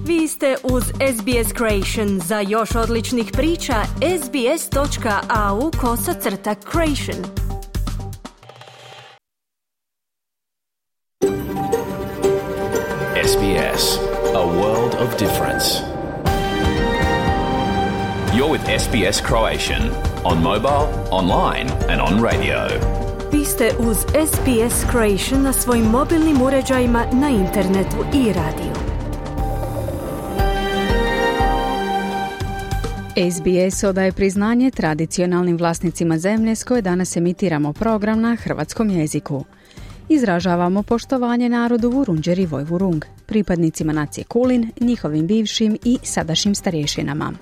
Vi ste uz SBS Creation. Za još odličnih priča, sbs.au/creation. SBS, a world of difference. You're with SBS Croatian on mobile, online and on radio. Vi ste uz SBS Creation na svojim mobilnim uređajima, na internetu i radiju. SBS odaje priznanje tradicionalnim vlasnicima zemlje s koje danas emitiramo program na hrvatskom jeziku. Izražavamo poštovanje narodu Vurundjer i Vojvurung, pripadnicima nacije Kulin, njihovim bivšim i sadašnjim starješinama.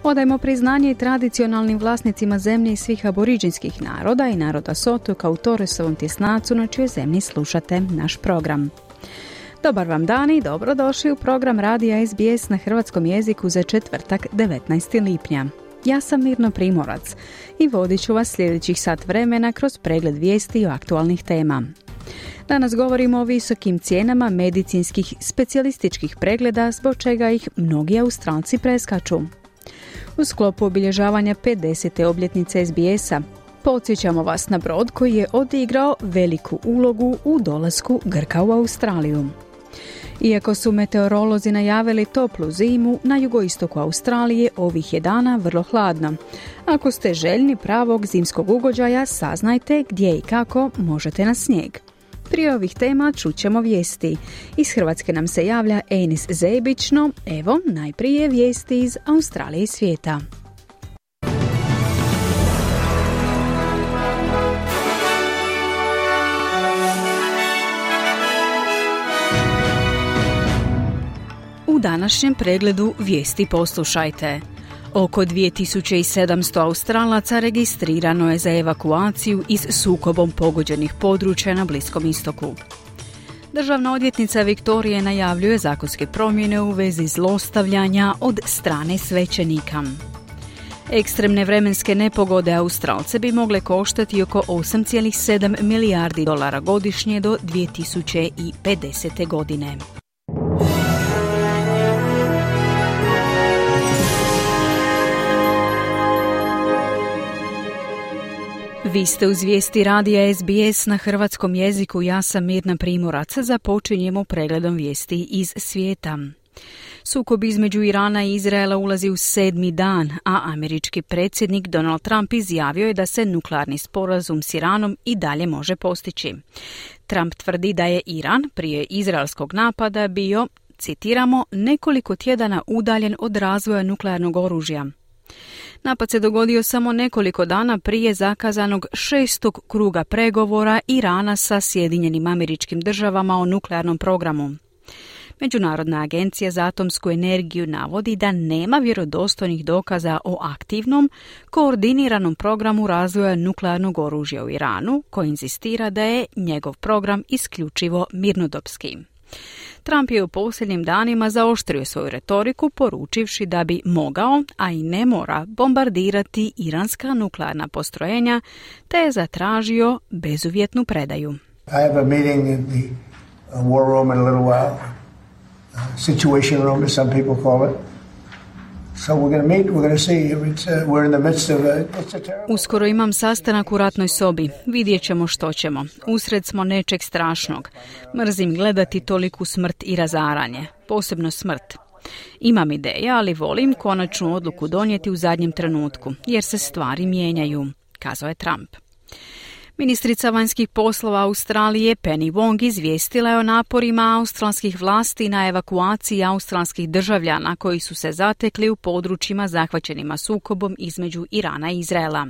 Odajemo priznanje i tradicionalnim vlasnicima zemlje i svih aboriđinskih naroda i naroda Sotoka u Torresovom tjesnacu na čijoj zemlji slušate naš program. Dobar vam dan i dobrodošli u program radija SBS na hrvatskom jeziku za četvrtak 19. lipnja. Ja sam Mirno Primorac i vodit ću vas sljedećih sat vremena kroz pregled vijesti i aktualnih tema. Danas govorimo o visokim cijenama medicinskih specijalističkih pregleda, zbog čega ih mnogi Australci preskaču. U sklopu obilježavanja 50. obljetnice SBS-a podsjećamo vas na brod koji je odigrao veliku ulogu u dolasku Grka u Australiju. Iako su meteorolozi najavili toplu zimu, na jugoistoku Australije ovih je dana vrlo hladno. Ako ste željni pravog zimskog ugođaja, saznajte gdje i kako možete na snijeg. Prije ovih tema čućemo vijesti. Iz Hrvatske nam se javlja Enis Zebić, no evo najprije vijesti iz Australije i svijeta. U današnjem pregledu vijesti poslušajte. Oko 2700 Australaca registrirano je za evakuaciju iz sukobom pogođenih područja na Bliskom istoku. Državna odvjetnica Viktorije najavljuje zakonske promjene u vezi zlostavljanja od strane svećenika. Ekstremne vremenske nepogode Australce bi mogle koštati oko 8,7 milijardi dolara godišnje do 2050. godine. Vi ste uz vijesti radija SBS na hrvatskom jeziku. Ja sam Mirna Primorac. Započinjemo pregledom vijesti iz svijeta. Sukob između Irana i Izraela ulazi u 7. dan, a američki predsjednik Donald Trump izjavio je da se nuklearni sporazum s Iranom i dalje može postići. Trump tvrdi da je Iran prije izraelskog napada bio, citiramo, nekoliko tjedana udaljen od razvoja nuklearnog oružja. Napad se dogodio samo nekoliko dana prije zakazanog 6. kruga pregovora Irana sa Sjedinjenim Američkim Državama o nuklearnom programu. Međunarodna agencija za atomsku energiju navodi da nema vjerodostojnih dokaza o aktivnom, koordiniranom programu razvoja nuklearnog oružja u Iranu, koji inzistira da je njegov program isključivo mirnodopski. Trump je u posljednjim danima zaoštrio svoju retoriku, poručivši da bi mogao, a i ne mora, bombardirati iranska nuklearna postrojenja, te je zatražio bezuvjetnu predaju. I have a meeting in the war room in a little while. Situation room, as some people call it. So we're going to meet, we're going to see. We're in the midst of it's a terrible... Uskoro imam sastanak u ratnoj sobi. Vidjet ćemo što ćemo. Usred smo nečeg strašnog. Mrzim gledati toliku smrt i razaranje. Posebno smrt. Imam ideje, ali volim konačnu odluku donijeti u zadnjem trenutku, jer se stvari mijenjaju, kazao je Trump. Ministrica vanjskih poslova Australije Penny Wong izvijestila je o naporima australskih vlasti na evakuaciji australskih državljana koji su se zatekli u područjima zahvaćenima sukobom između Irana i Izraela.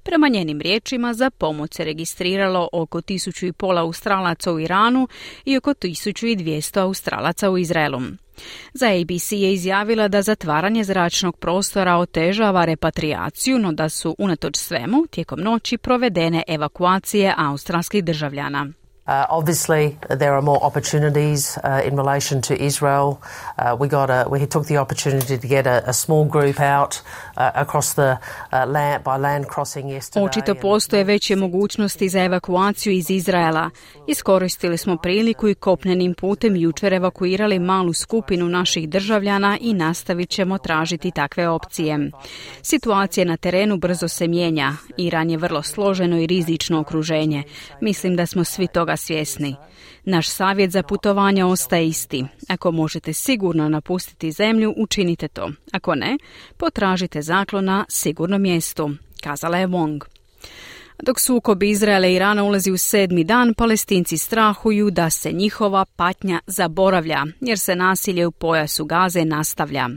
Prema njenim riječima, za pomoć se registriralo oko 1500 Australaca u Iranu i oko 1200 Australaca u Izraelu. Za ABC je izjavila da zatvaranje zračnog prostora otežava repatriaciju, no da su unatoč svemu tijekom noći provedene evakuacije australskih državljana. Obviously, there are more opportunities in relation to Israel. We took the opportunity to get a small group out across the land by land crossing yesterday. Očito postoje veće mogućnosti za evakuaciju iz Izraela. Iskoristili smo priliku i kopnenim putem jučer evakuirali malu skupinu naših državljana i nastavit ćemo tražiti takve opcije. Situacija na terenu brzo se mijenja. Iran je vrlo složeno i rizično okruženje. Mislim da smo svi toga svjesni. Naš savjet za putovanja ostaje isti. Ako možete sigurno napustiti zemlju, učinite to. Ako ne, potražite zaklon na sigurnom mjestu, kazala je Wong. Dok sukob Izraela i Irana ulazi u 7. dan, Palestinci strahuju da se njihova patnja zaboravlja, jer se nasilje u pojasu Gaze nastavlja.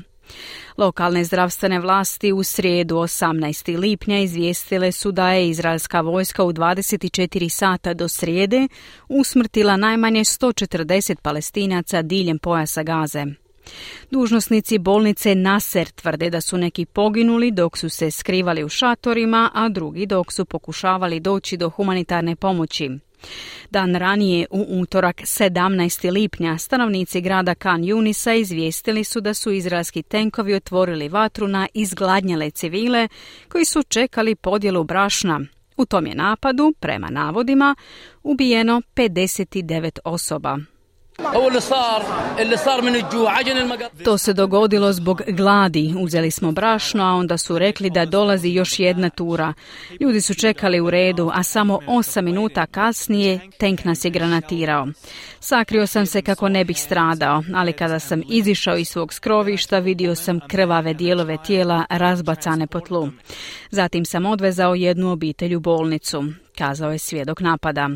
Lokalne zdravstvene vlasti u srijedu 18. lipnja izvijestile su da je izraelska vojska u 24 sata do srijede usmrtila najmanje 140 Palestinaca diljem pojasa Gaze. Dužnosnici bolnice Nasser tvrde da su neki poginuli dok su se skrivali u šatorima, a drugi dok su pokušavali doći do humanitarne pomoći. Dan ranije, u utorak 17. lipnja, stanovnici grada Khan Yunisa izvijestili su da su izraelski tenkovi otvorili vatru na izgladnjele civile koji su čekali podjelu brašna. U tom je napadu, prema navodima, ubijeno 59 osoba. To se dogodilo zbog gladi. Uzeli smo brašno, a onda su rekli da dolazi još jedna tura. Ljudi su čekali u redu, a samo 8 minuta kasnije tenk nas je granatirao. Sakrio sam se kako ne bih stradao, ali kada sam izišao iz svog skrovišta vidio sam krvave dijelove tijela razbacane po tlu. Zatim sam odvezao jednu obitelj u bolnicu, kazao je svjedok napada.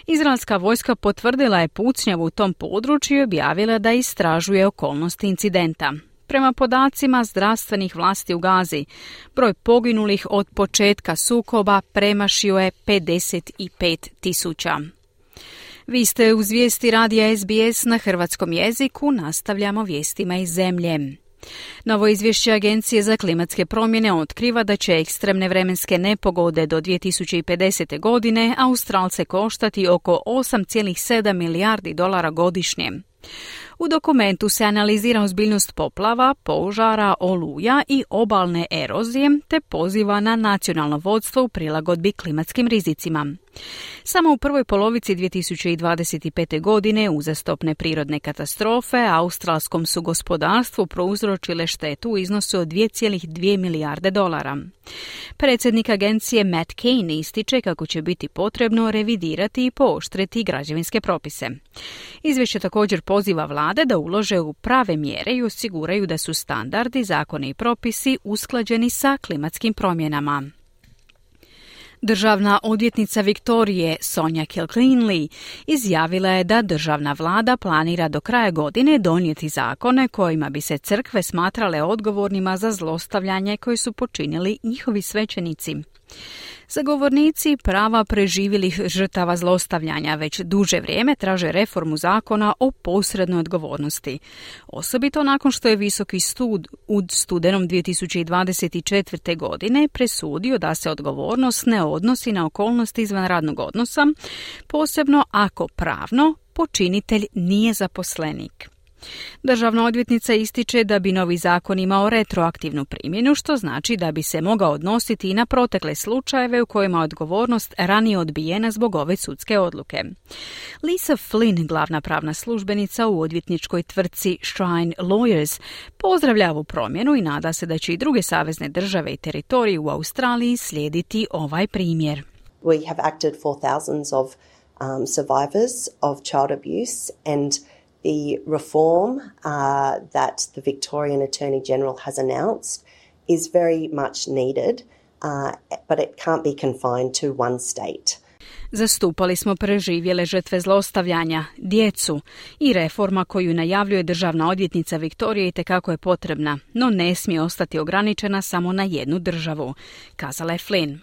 Izraelska vojska potvrdila je pucnjavu u tom području i objavila da istražuje okolnosti incidenta. Prema podacima zdravstvenih vlasti u Gazi, broj poginulih od početka sukoba premašio je 55.000. Vi ste uz vijesti radija SBS na hrvatskom jeziku, nastavljamo vijestima iz zemlje. Novo izvješće Agencije za klimatske promjene otkriva da će ekstremne vremenske nepogode do 2050. godine Australce koštati oko 8,7 milijardi dolara godišnje. U dokumentu se analizira ozbiljnost poplava, požara, oluja i obalne erozije, te poziva na nacionalno vodstvo u prilagodbi klimatskim rizicima. Samo u prvoj polovici 2025. godine uzastopne prirodne katastrofe australskom su gospodarstvu prouzročile štetu u iznosu od 2,2 milijarde dolara. Predsjednik agencije Matt Kane ističe kako će biti potrebno revidirati i pooštriti građevinske propise. Izvješće također poziva vlade da ulože u prave mjere i osiguraju da su standardi, zakoni i propisi usklađeni sa klimatskim promjenama. Državna odvjetnica Viktorije Sonja Kilkenley izjavila je da državna vlada planira do kraja godine donijeti zakone kojima bi se crkve smatrale odgovornima za zlostavljanje koje su počinili njihovi svećenici. Zagovornici prava preživjelih žrtava zlostavljanja već duže vrijeme traže reformu zakona o posrednoj odgovornosti. Osobito nakon što je Visoki sud u studenom 2024. godine presudio da se odgovornost ne odnosi na okolnosti izvan radnog odnosa, posebno ako pravno počinitelj nije zaposlenik. Državna odvjetnica ističe da bi novi zakon imao retroaktivnu primjenu, što znači da bi se mogao odnositi i na protekle slučajeve u kojima je odgovornost ranije odbijena zbog ove sudske odluke. Lisa Flynn, glavna pravna službenica u odvjetničkoj tvrtci Shrine Lawyers, pozdravlja ovu promjenu i nada se da će i druge savezne države i teritoriji u Australiji slijediti ovaj primjer. We have acted for thousands of survivors of child abuse, and the reform that the Victorian Attorney General has announced is very much needed, but it can't be confined to one state. Zastupali smo preživjele žrtve zlostavljanja, djecu, i reforma koju najavljuje državna odvjetnica Viktorije itekako je potrebna, no ne smije ostati ograničena samo na jednu državu, kazala je Flynn.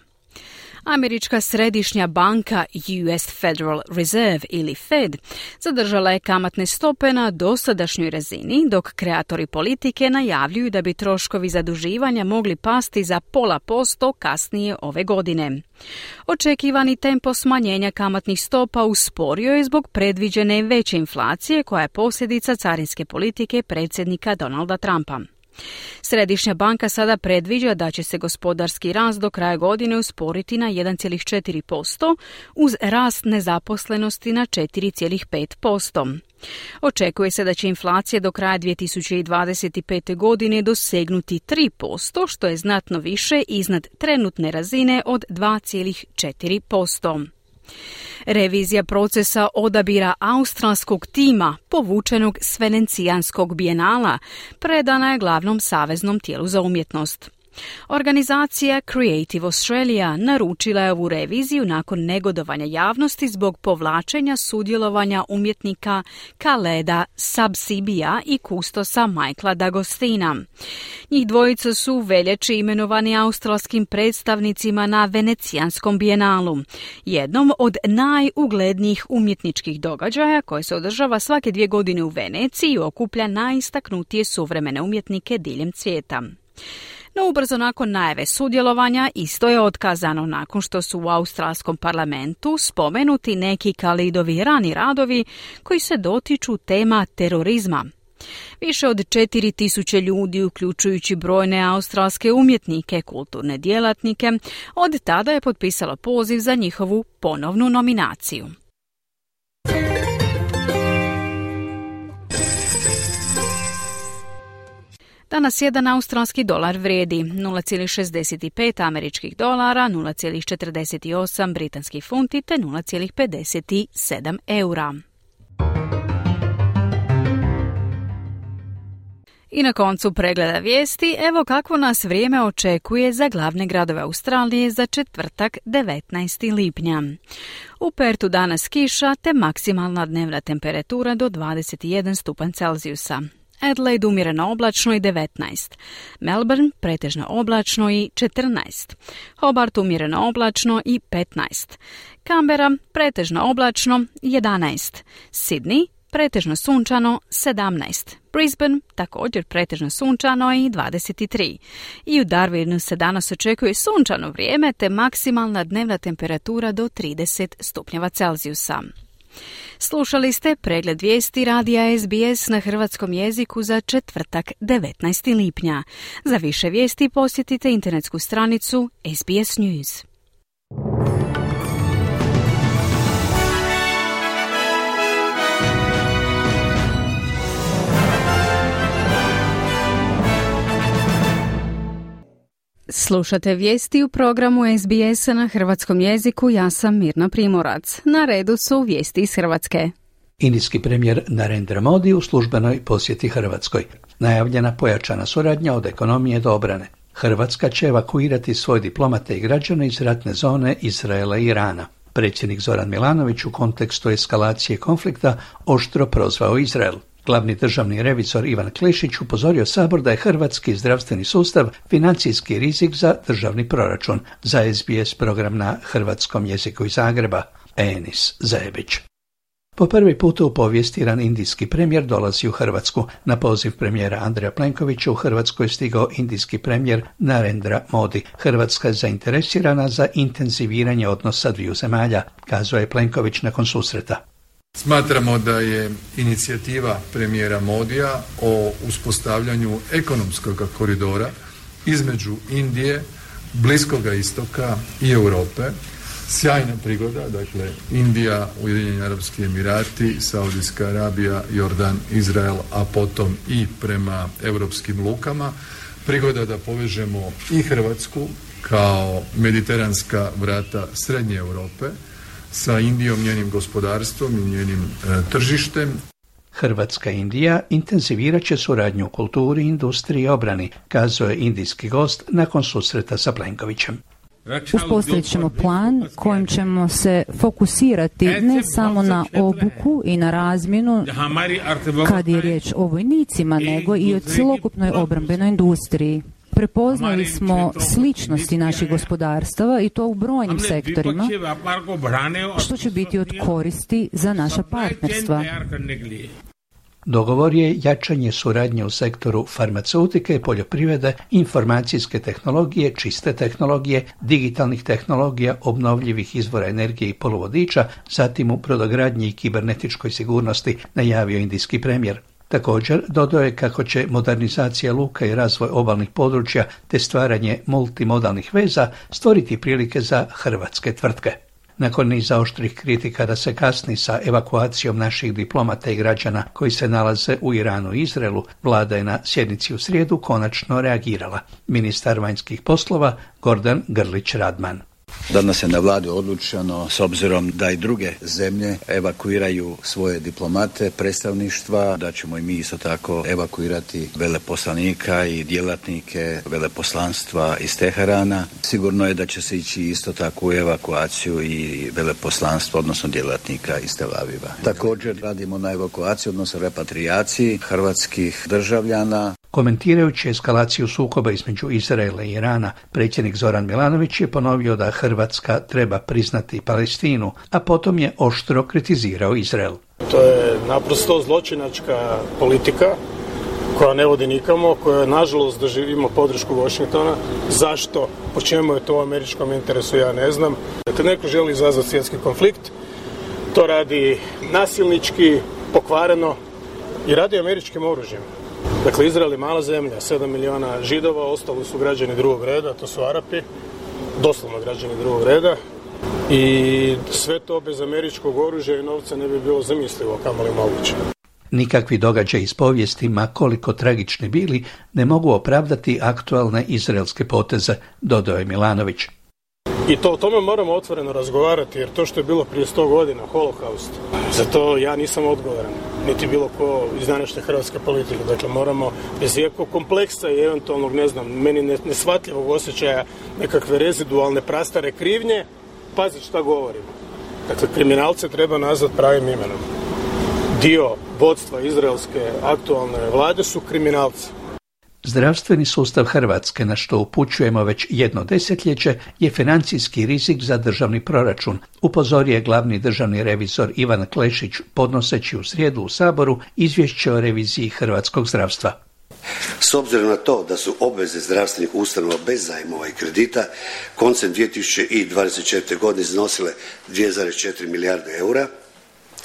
Američka središnja banka US Federal Reserve ili Fed zadržala je kamatne stope na dosadašnjoj razini, dok kreatori politike najavljuju da bi troškovi zaduživanja mogli pasti za 0,5% kasnije ove godine. Očekivani tempo smanjenja kamatnih stopa usporio je zbog predviđene veće inflacije koja je posljedica carinske politike predsjednika Donalda Trumpa. Središnja banka sada predviđa da će se gospodarski rast do kraja godine usporiti na 1,4% uz rast nezaposlenosti na 4,5%. Očekuje se da će inflacija do kraja 2025. godine dosegnuti 3%, što je znatno više iznad trenutne razine od 2,4%. Revizija procesa odabira australskog tima povučenog s Venecijanskog bijenala predana je glavnom saveznom tijelu za umjetnost. Organizacija Creative Australia naručila je ovu reviziju nakon negodovanja javnosti zbog povlačenja sudjelovanja umjetnika Khaleda Sabsibija i kustosa Michaela D'Agostina. Njih dvojica su u veljači imenovani australskim predstavnicima na Venecijanskom bijenalu, jednom od najuglednijih umjetničkih događaja koje se održava svake 2 godine u Veneciji i okuplja najistaknutije suvremene umjetnike diljem svijeta. No ubrzo nakon najave sudjelovanja isto je otkazano nakon što su u australskom parlamentu spomenuti neki Khaledovi rani radovi koji se dotiču tema terorizma. Više od 4.000 ljudi, uključujući brojne australske umjetnike, kulturne djelatnike, od tada je potpisalo poziv za njihovu ponovnu nominaciju. Danas jedan australski dolar vrijedi 0,65 američkih dolara, 0,48 britanskih funti te 0,57 eura. I na koncu pregleda vijesti, evo kakvo nas vrijeme očekuje za glavne gradove Australije za četvrtak 19. lipnja. U Pertu danas kiša te maksimalna dnevna temperatura do 21 stupanj Celzijusa. Adelaide umjereno oblačno i 19. Melbourne pretežno oblačno i 14. Hobart umjereno oblačno i 15. Canberra pretežno oblačno 11. Sydney pretežno sunčano 17. Brisbane također pretežno sunčano i 23. I u Darwinu se danas očekuje sunčano vrijeme te maksimalna dnevna temperatura do 30 stupnjeva Celzijusa. Slušali ste pregled vijesti radija SBS na hrvatskom jeziku za četvrtak 19. lipnja. Za više vijesti posjetite internetsku stranicu SBS News. Slušate vijesti u programu SBS na hrvatskom jeziku, ja sam Mirna Primorac. Na redu su vijesti iz Hrvatske. Indijski premijer Narendra Modi u službenoj posjeti Hrvatskoj. Najavljena pojačana suradnja od ekonomije do obrane. Hrvatska će evakuirati svoje diplomate i građane iz ratne zone Izraela i Irana. Predsjednik Zoran Milanović u kontekstu eskalacije konflikta oštro prozvao Izrael. Glavni državni revizor Ivan Klešić upozorio Sabor da je hrvatski zdravstveni sustav financijski rizik za državni proračun. Za SBS program na hrvatskom jeziku iz Zagreba, Enis Zajebić. Po prvi put u povijesti jedan indijski premijer dolazi u Hrvatsku. Na poziv premijera Andreja Plenkovića u Hrvatskoj je stigao indijski premijer Narendra Modi. Hrvatska je zainteresirana za intenziviranje odnosa dviju zemalja, kazao je Plenković nakon susreta. Smatramo da je inicijativa premijera Modija o uspostavljanju ekonomskog koridora između Indije, Bliskoga istoka i Europe sjajna prigoda, dakle Indija, Ujedinjeni Arapski Emirati, Saudijska Arabija, Jordan, Izrael, a potom i prema europskim lukama, prigoda da povežemo i Hrvatsku kao mediteranska vrata Srednje Europe sa Indijom, njenim gospodarstvom i njenim tržištem. Hrvatska i Indija intenzivirat će suradnju u kulturi, industriji i obrani, kazao je indijski gost nakon susreta sa Plenkovićem. Uspostavit ćemo plan kojim ćemo se fokusirati ne samo na obuku i na razmjenu kad je riječ o vojnicima, nego i o cjelokupnoj obrambenoj industriji. Prepoznali smo sličnosti naših gospodarstava i to u brojnim sektorima, što će biti od koristi za naša partnerstva. Dogovor je jačanje suradnje u sektoru farmaceutike, poljoprivrede, informacijske tehnologije, čiste tehnologije, digitalnih tehnologija, obnovljivih izvora energije i poluvodiča, zatim u brodogradnji i kibernetičkoj sigurnosti, najavio indijski premijer. Također, dodao je kako će modernizacija luka i razvoj obalnih područja te stvaranje multimodalnih veza stvoriti prilike za hrvatske tvrtke. Nakon niza oštrih kritika da se kasni sa evakuacijom naših diplomata i građana koji se nalaze u Iranu i Izraelu, vlada je na sjednici u srijedu konačno reagirala. Ministar vanjskih poslova Gordan Grlić-Radman. Danas je na vladi odlučeno, s obzirom da i druge zemlje evakuiraju svoje diplomate, predstavništva, da ćemo i mi isto tako evakuirati veleposlanika i djelatnike veleposlanstva iz Teherana. Sigurno je da će se ići isto tako u evakuaciju i veleposlanstva, odnosno djelatnika iz Tel Aviva. Također radimo na evakuaciji, odnosno repatrijaciji hrvatskih državljana. Komentirajući eskalaciju sukoba između Izraela i Irana, predsjednik Zoran Milanović je ponovio da Hrvatska treba priznati Palestinu, a potom je oštro kritizirao Izrael. To je naprosto zločinačka politika koja ne vodi nikamo, koja nažalost doživimo podršku Washingtona. Zašto? Po čemu je to u američkom interesu, ja ne znam. Kad neko želi izazvati svjetski konflikt, to radi nasilnički, pokvareno i radi američkim oružjem. Dakle, Izrael je mala zemlja, 7 miliona Židova, ostali su građani drugog reda, to su Arapi, doslovno građani drugog reda. I sve to bez američkog oružja i novca ne bi bilo zamislivo, kamoli moguće. Nikakvi događaji iz povijesti, ma koliko tragični bili, ne mogu opravdati aktualne izraelske poteze, dodao je Milanović. I o tome moramo otvoreno razgovarati, jer to što je bilo prije 100 godina, holokaust, za to ja nisam odgovoran, niti bilo ko iz današnje hrvatske politike. Dakle, moramo bez ikakvog kompleksa i eventualnog, meni neshvatljivog osjećaja nekakve rezidualne prastare krivnje, paziti šta govorimo. Dakle, kriminalce treba nazvati pravim imenom. Dio vodstva izraelske aktualne vlade su kriminalci. Zdravstveni sustav Hrvatske, na što upućujemo već jedno desetljeće, je financijski rizik za državni proračun, upozorio je glavni državni revizor Ivan Klešić podnoseći u srijedu u Saboru izvješće o reviziji hrvatskog zdravstva. S obzirom na to da su obveze zdravstvenih ustanova bez zajmova i kredita koncem 2024. godine iznosile 2,4 milijarde eura,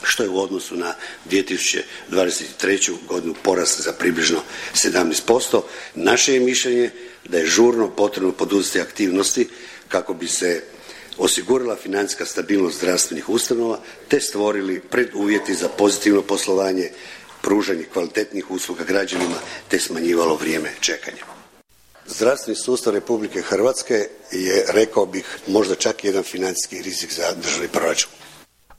što je u odnosu na 2023. godinu porast za približno 17%. Naše je mišljenje da je žurno potrebno poduzeti aktivnosti kako bi se osigurala financijska stabilnost zdravstvenih ustanova te stvorili preduvjeti za pozitivno poslovanje, pružanje kvalitetnih usluga građanima te smanjivalo vrijeme čekanja. Zdravstveni sustav Republike Hrvatske je, rekao bih, možda čak jedan financijski rizik za državni proračun.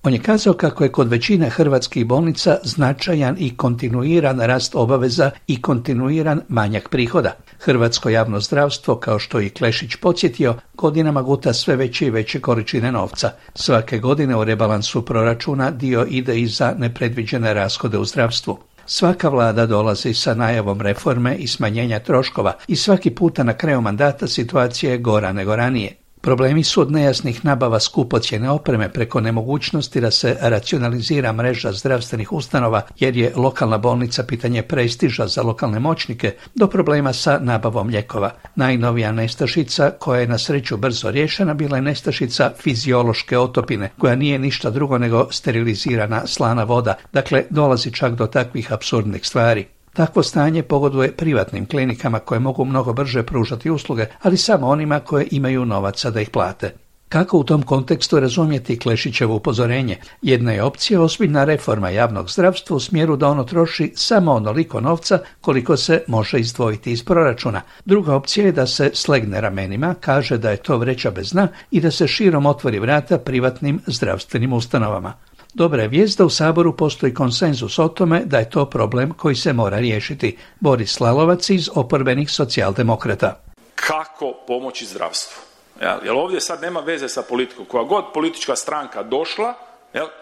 On je kazao kako je kod većine hrvatskih bolnica značajan i kontinuiran rast obaveza i kontinuiran manjak prihoda. Hrvatsko javno zdravstvo, kao što i Klešić podsjetio, godinama guta sve veće i veće količine novca. Svake godine u rebalansu proračuna dio ide i za nepredviđene rashode u zdravstvu. Svaka vlada dolazi sa najavom reforme i smanjenja troškova i svaki puta na kraju mandata situacija je gora nego ranije. Problemi su od nejasnih nabava skupocjene opreme preko nemogućnosti da se racionalizira mreža zdravstvenih ustanova jer je lokalna bolnica pitanje prestiža za lokalne moćnike do problema sa nabavom lijekova. Najnovija nestašica koja je na sreću brzo riješena bila je nestašica fiziološke otopine koja nije ništa drugo nego sterilizirana slana voda, dakle dolazi čak do takvih apsurdnih stvari. Takvo stanje pogoduje privatnim klinikama koje mogu mnogo brže pružati usluge, ali samo onima koje imaju novaca da ih plate. Kako u tom kontekstu razumjeti Klešićevo upozorenje? Jedna je opcija ozbiljna reforma javnog zdravstva u smjeru da ono troši samo onoliko novca koliko se može izdvojiti iz proračuna. Druga opcija je da se slegne ramenima, kaže da je to vreća bez dna i da se širom otvori vrata privatnim zdravstvenim ustanovama. Dobra je vijest da u Saboru postoji konsenzus o tome da je to problem koji se mora riješiti. Boris Lalovac iz oporbenih socijaldemokrata. Kako pomoći zdravstvu? Jer ovdje sad nema veze sa politikom. Koja god politička stranka došla,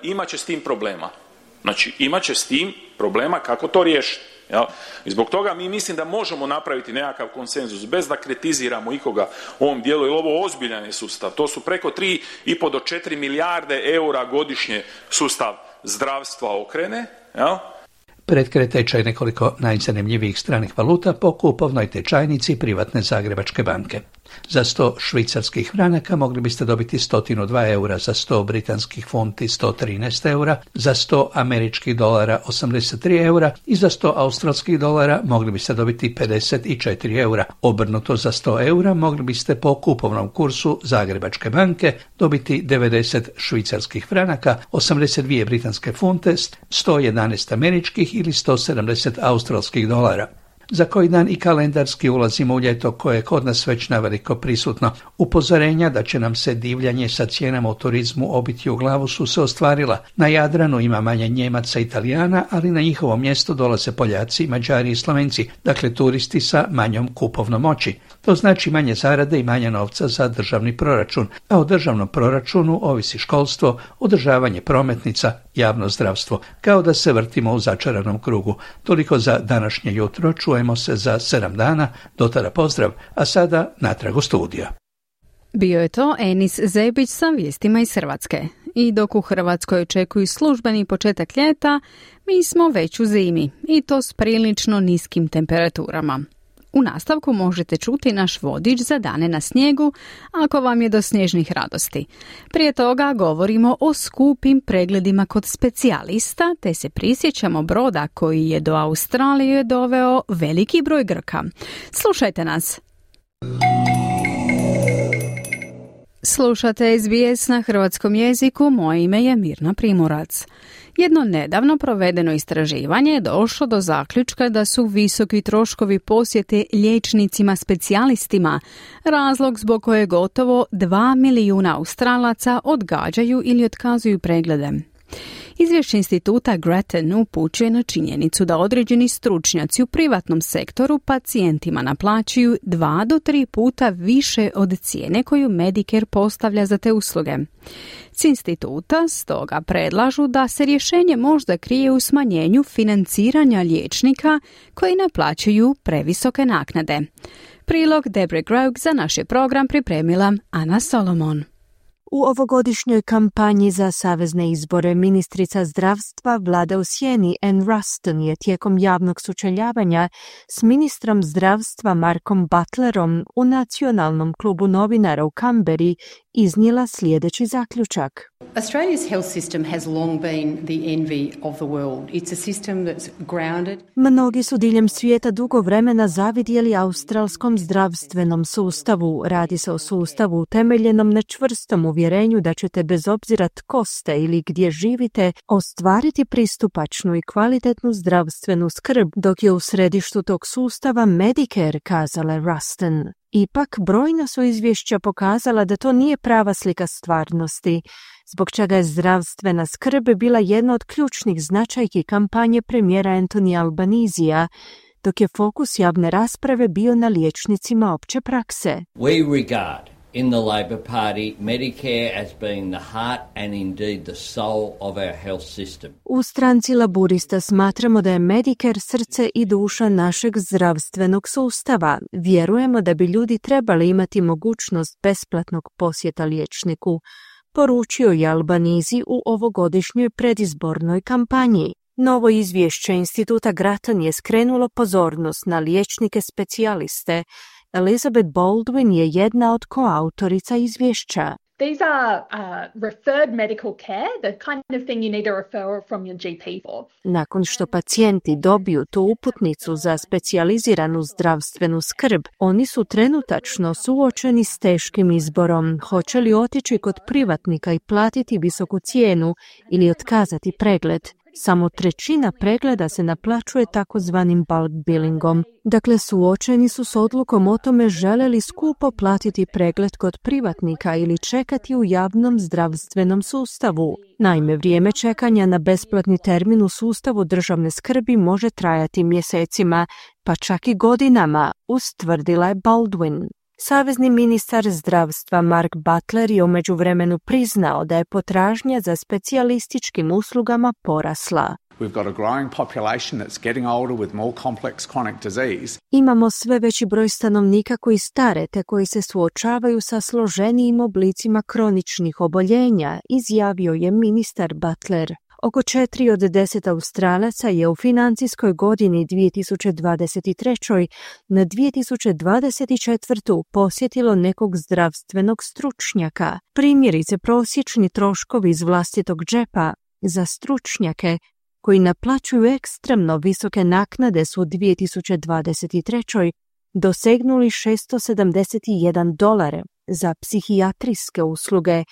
imat će s tim problema. Znači, imat će s tim problema kako to riješiti. Jel? I zbog toga mi mislim da možemo napraviti nekakav konsenzus bez da kritiziramo ikoga u ovom dijelu, jer ovo ozbiljan je sustav. To su preko 3,5 do 4 milijarde eura godišnje sustav zdravstva okrene. Jel? Pretkre tečaj nekoliko najzanimljivijih stranih valuta po kupovnoj tečajnici privatne Zagrebačke banke. Za 100 švicarskih franaka mogli biste dobiti 102 eura, za 100 britanskih funti 113 eura, za 100 američkih dolara 83 eura i za 100 australskih dolara mogli biste dobiti 54 eura. Obrnuto, za 100 eura mogli biste po kupovnom kursu Zagrebačke banke dobiti 90 švicarskih franaka, 82 britanske funte, 111 američkih ili 170 australskih dolara. Za koji dan i kalendarski ulazimo u ljeto koje je kod nas već naveliko prisutno. Upozorenja da će nam se divljanje sa cijenama u turizmu obiti u glavu su se ostvarila. Na Jadranu ima manje Njemaca i Italijana, ali na njihovo mjesto dolaze Poljaci, Mađari i Slovenci, dakle turisti sa manjom kupovnom moći. To znači manje zarade i manje novca za državni proračun, a o državnom proračunu ovisi školstvo, održavanje prometnica, javno zdravstvo, kao da se vrtimo u začaranom krugu. Toliko za današnje jutro, čujemo se za 7 dana, do tada pozdrav, a sada natrag u studija. Bio je to Enis Zebić sa vijestima iz Hrvatske. I dok u Hrvatskoj očekuju službeni početak ljeta, mi smo već u zimi i to s prilično niskim temperaturama. U nastavku možete čuti naš vodič za dane na snijegu, ako vam je do snježnih radosti. Prije toga govorimo o skupim pregledima kod specijalista, te se prisjećamo broda koji je do Australije doveo veliki broj Grka. Slušajte nas! Slušate SBS na hrvatskom jeziku, moje ime je Mirna Primorac. Jedno nedavno provedeno istraživanje je došlo do zaključka da su visoki troškovi posjete liječnicima specijalistima razlog zbog koje gotovo 2 milijuna Australaca odgađaju ili otkazuju preglede. Izvješće instituta Grattan upućuje na činjenicu da određeni stručnjaci u privatnom sektoru pacijentima naplaćuju 2 do 3 puta više od cijene koju Medicare postavlja za te usluge. S instituta stoga predlažu da se rješenje možda krije u smanjenju financiranja liječnika koji naplaćuju previsoke naknade. Prilog Debre Graug za naš je program pripremila Ana Solomon. U ovogodišnjoj kampanji za savezne izbore ministrica zdravstva Vlada u sjeni Ann Ruston je tijekom javnog sučeljavanja s ministrom zdravstva Markom Butlerom u Nacionalnom klubu novinara u Canberri iznijela sljedeći zaključak. Australia's health system has long been the envy of the world. It's a system that's grounded. Mnogi su diljem svijeta dugo vremena zavidjeli australskom zdravstvenom sustavu. Radi se o sustavu utemeljenom na čvrstom uvjerenju da ćete bez obzira tko ste ili gdje živite ostvariti pristupačnu i kvalitetnu zdravstvenu skrb, dok je u središtu tog sustava Medicare, kazala Ruston. Ipak, brojna su izvješća pokazala da to nije prava slika stvarnosti, zbog čega je zdravstvena skrb bila jedna od ključnih značajki kampanje premijera Anthony Albanisija, dok je fokus javne rasprave bio na liječnicima opće prakse. We regard in the Labor Party Medicare as being the heart and indeed the soul of our health system. U stranci Laburista smatramo da je Medicare srce i duša našeg zdravstvenog sustava. Vjerujemo da bi ljudi trebali imati mogućnost besplatnog posjeta liječniku, poručio je Albanese u ovogodišnjoj predizbornoj kampanji. Novo izvješće instituta Grattan je skrenulo pozornost na liječnike specijaliste. Elizabeth Baldwin je jedna od koautorica izvješća. These are referred medical care, the kind of thing you need a referral from your GP for. Nakon što pacijenti dobiju tu uputnicu za specijaliziranu zdravstvenu skrb, oni su trenutačno suočeni s teškim izborom. Hoće li otići kod privatnika i platiti visoku cijenu ili otkazati pregled? Samo 1/3 pregleda se naplaćuje takozvanim bulk billingom. Dakle, suočeni su s odlukom o tome žele li skupo platiti pregled kod privatnika ili čekati u javnom zdravstvenom sustavu. Naime, vrijeme čekanja na besplatni termin u sustavu državne skrbi može trajati mjesecima, pa čak i godinama, ustvrdila je Baldwin. Savezni ministar zdravstva Mark Butler je u međuvremenu priznao da je potražnja za specijalističkim uslugama porasla. We've got a growing population that's getting older with more complex chronic disease. Imamo sve veći broj stanovnika koji stare te koji se suočavaju sa složenijim oblicima kroničnih oboljenja, izjavio je ministar Butler. Oko 4 od 10 Australaca je u financijskoj godini 2023. na 2024. posjetilo nekog zdravstvenog stručnjaka. Primjerice, prosječni troškovi iz vlastitog džepa za stručnjake koji naplaćuju ekstremno visoke naknade su u 2023. dosegnuli $671 za psihijatrijske usluge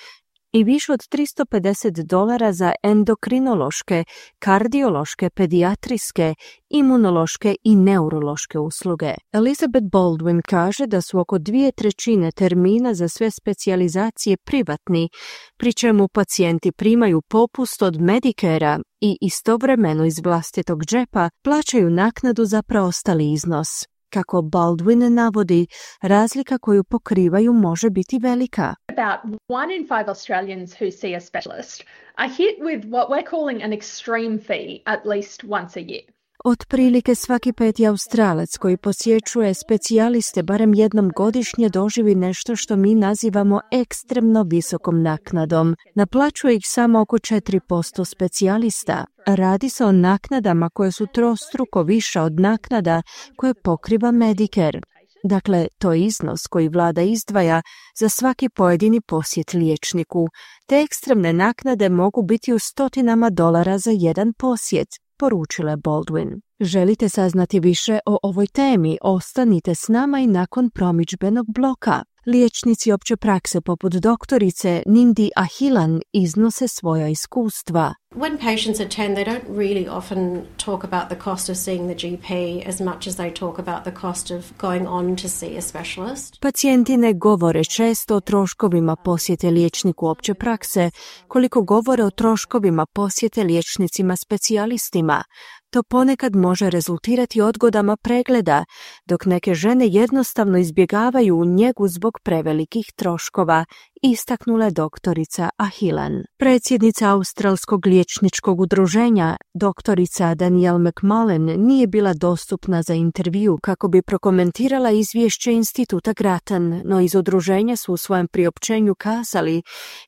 i više od $350 za endokrinološke, kardiološke, pedijatrijske, imunološke i neurološke usluge. Elizabeth Baldwin kaže da su oko 2/3 termina za sve specijalizacije privatni, pri čemu pacijenti primaju popust od Medicare-a i istovremeno iz vlastitog džepa plaćaju naknadu za preostali iznos. Kako Baldwin navodi, razlika koju pokrivaju može biti velika. About 1 in 5 Australians who see a specialist are hit with what we're calling an extreme fee at least once a year. Otprilike svaki 5. Australac koji posjećuje specijaliste barem jednom godišnje doživi nešto što mi nazivamo ekstremno visokom naknadom. Naplaćuje ih samo oko 4% specijalista. Radi se o naknadama koje su trostruko više od naknada koje pokriva Medicare. Dakle, to je iznos koji vlada izdvaja za svaki pojedini posjet liječniku. Te ekstremne naknade mogu biti u $100 za jedan posjet, poručila Baldwin. Želite saznati više o ovoj temi? Ostanite s nama i nakon promidžbenog bloka. Liječnici opće prakse poput doktorice Nindi Ahilan iznose svoja iskustva. When patients attend, they don't really often talk about the cost of seeing the GP as much as they talk about the cost of going on to see a specialist. Pacijenti ne govore često o troškovima posjete liječniku opće prakse, koliko govore o troškovima posjete liječnicima specijalistima. To ponekad može rezultirati odgodama pregleda, dok neke žene jednostavno izbjegavaju u njegu zbog prevelikih troškova, istaknula je doktorica Ahilan. Predsjednica Australskog liječničkog udruženja, doktorica Danielle McMullen, nije bila dostupna za intervju kako bi prokomentirala izvješće Instituta Grattan, no iz udruženja su u svojem priopćenju kazali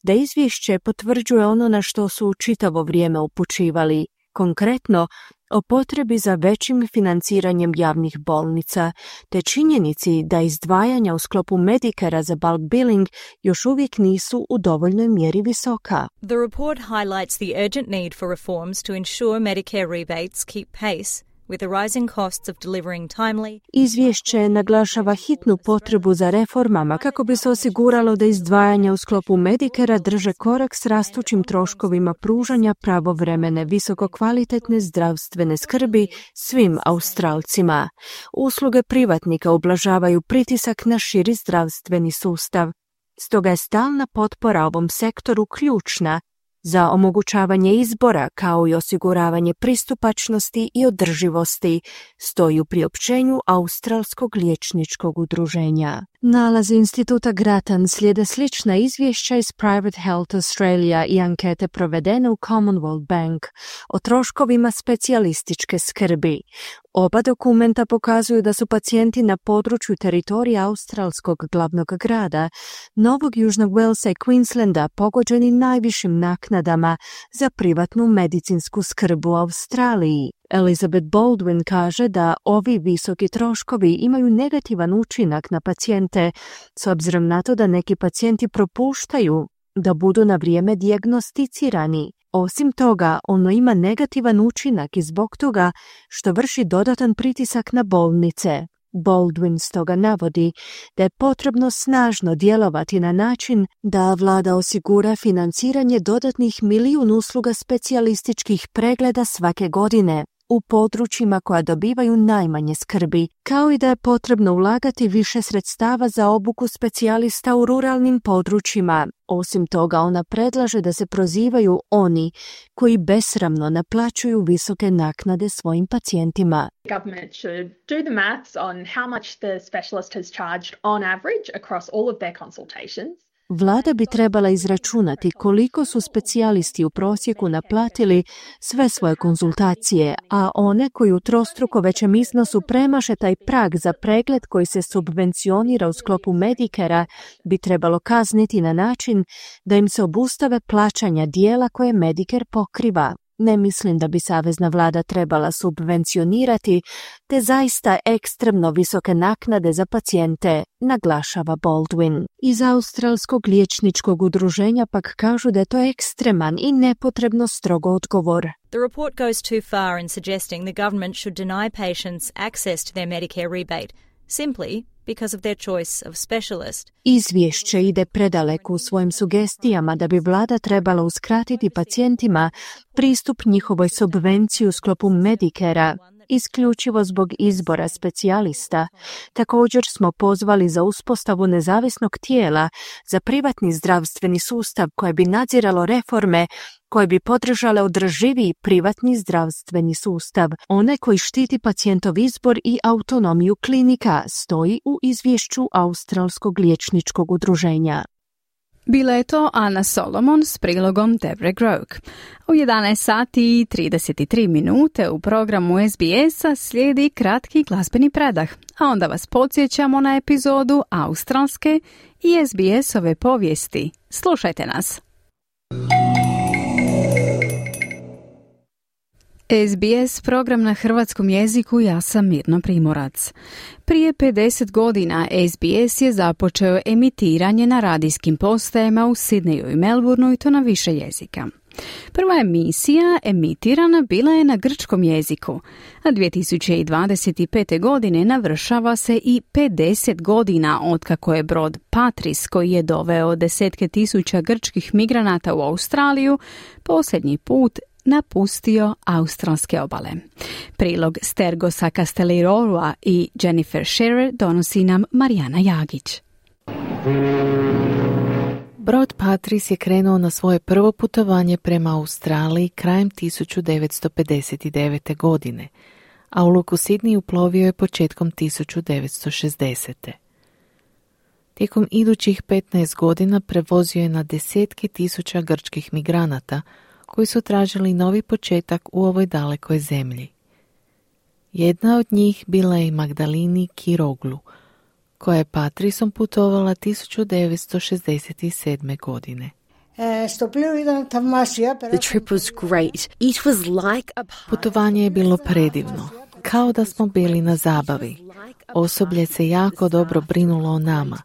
da izvješće potvrđuje ono na što su čitavo vrijeme upućivali. Konkretno, o potrebi za većim financiranjem javnih bolnica, te činjenici da izdvajanja u sklopu Medicare-a za bulk billing još uvijek nisu u dovoljnoj mjeri visoka. The report highlights the urgent need for reforms to ensure Medicare rebates keep pace with the rising costs of delivering timely. Izvješće naglašava hitnu potrebu za reformama kako bi se osiguralo da izdvajanja u sklopu Medicare-a drže korak s rastućim troškovima pružanja pravovremene visokokvalitetne zdravstvene skrbi svim Australcima. Usluge privatnika ublažavaju pritisak na širi zdravstveni sustav. Stoga je stalna potpora ovom sektoru ključna za omogućavanje izbora kao i osiguravanje pristupačnosti i održivosti, stoji u priopćenju Australskog liječničkog udruženja. Nalazi Instituta Grattan slijede slična izvješća iz Private Health Australia i ankete provedene u Commonwealth Bank o troškovima specijalističke skrbi. Oba dokumenta pokazuju da su pacijenti na području teritorija australskog glavnog grada, Novog Južnog Walesa i Queenslanda pogođeni najvišim naknadama za privatnu medicinsku skrb u Australiji. Elizabeth Baldwin kaže da ovi visoki troškovi imaju negativan učinak na pacijente, s obzirom na to da neki pacijenti propuštaju da budu na vrijeme dijagnosticirani. Osim toga, ono ima negativan učinak i zbog toga što vrši dodatan pritisak na bolnice. Baldwin stoga navodi da je potrebno snažno djelovati na način da vlada osigura financiranje dodatnih 1 milijun usluga specijalističkih pregleda svake godine, u područjima koja dobivaju najmanje skrbi, kao i da je potrebno ulagati više sredstava za obuku specijalista u ruralnim područjima. Osim toga, ona predlaže da se prozivaju oni koji besramno naplaćuju visoke naknade svojim pacijentima. Government should do the maths on how much the specialist has charged on average across all of their consultations. Vlada bi trebala izračunati koliko su specijalisti u prosjeku naplatili sve svoje konzultacije, a one koji u trostruko većem iznosu premaše taj prag za pregled koji se subvencionira u sklopu Medicarea bi trebalo kazniti na način da im se obustave plaćanja dijela koje Medicare pokriva. Ne mislim da bi savezna vlada trebala subvencionirati te zaista ekstremno visoke naknade za pacijente, naglašava Baldwin. Iz Australskog liječničkog udruženja pak kažu da je to ekstreman i nepotrebno strogo odgovor. The report goes too far in suggesting the government should deny patients access to their Medicare rebate, simply because of their choice of specialist. Izvješće ide predaleko u svojim sugestijama da bi vlada trebala uskratiti pacijentima pristup njihovoj subvenciji u sklopu Medicarea, isključivo zbog izbora specijalista. Također smo pozvali za uspostavu nezavisnog tijela za privatni zdravstveni sustav koje bi nadziralo reforme koje bi podržale održiviji privatni zdravstveni sustav, one koji štiti pacijentov izbor i autonomiju klinika, stoji u izvješću Australskog liječničkog udruženja. Bila je to Ana Solomon s prilogom Debre Groke. U 11 sati i 33 minute u programu SBS-a slijedi kratki glazbeni predah, a onda vas podsjećamo na epizodu australske i SBS-ove povijesti. Slušajte nas! SBS program na hrvatskom jeziku, ja sam Mirna Primorac. Prije 50 godina SBS je započeo emitiranje na radijskim postajama u Sidneju i Melbourneu i to na više jezika. Prva emisija emitirana bila je na grčkom jeziku, a 2025. godine navršava se i 50 godina otkako je brod Patris, koji je doveo desetke tisuća grčkih migranata u Australiju, posljednji put napustio australske obale. Prilog Stergosa Castellirolua i Jennifer Shearer donosi nam Marijana Jagić. Brod Patris je krenuo na svoje prvo putovanje prema Australiji krajem 1959. godine, a u luku Sidney uplovio je početkom 1960. Tijekom idućih 15 godina prevozio je na desetke tisuća grčkih migranata koji su tražili novi početak u ovoj dalekoj zemlji. Jedna od njih bila je i Magdalini Kiroglu, koja je Patrisom putovala 1967. godine. The trip was great. It was like a Putovanje je bilo predivno, kao da smo bili na zabavi. Osoblje se jako dobro brinulo o nama.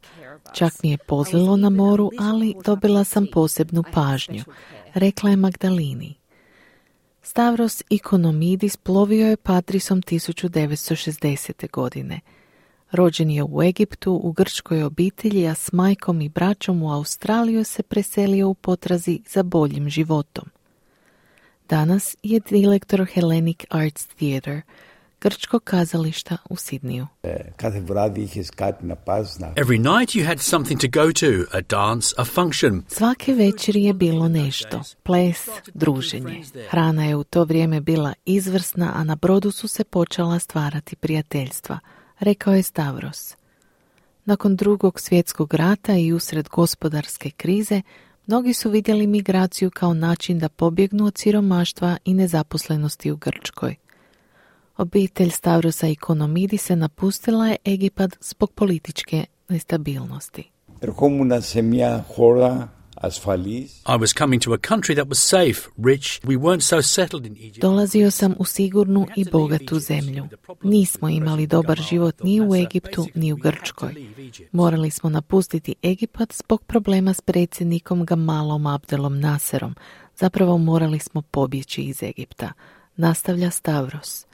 Čak mi je pozlilo na moru, ali dobila sam posebnu pažnju, rekla je Magdalini. Stavros Ikonomidis plovio je Patrisom 1960. godine. Rođen je u Egiptu u grčkoj obitelji, a s majkom i braćom u Australiju se preselio u potrazi za boljim životom. Danas je direktor Hellenic Arts Theatre, grčkog kazališta u Sidniju. Every night you had something to go to, a dance, a function. Svake večeri je bilo nešto, ples, druženje. Hrana je u to vrijeme bila izvrsna, a na brodu su se počela stvarati prijateljstva, rekao je Stavros. Nakon Drugog svjetskog rata i usred gospodarske krize, mnogi su vidjeli migraciju kao način da pobjegnu od siromaštva i nezaposlenosti u Grčkoj. Obitelj Stavrosa Ikonomidisa napustila je Egipat zbog političke nestabilnosti. I was coming to a country that was safe, rich. We weren't so settled in Egypt. Dolazio sam u sigurnu i bogatu zemlju. Nismo imali dobar život ni u Egiptu, ni u Grčkoj. Morali smo napustiti Egipat zbog problema s predsjednikom Gamalom Abdelom Nasserom. Zapravo morali smo pobjeći iz Egipta, nastavlja Stavros.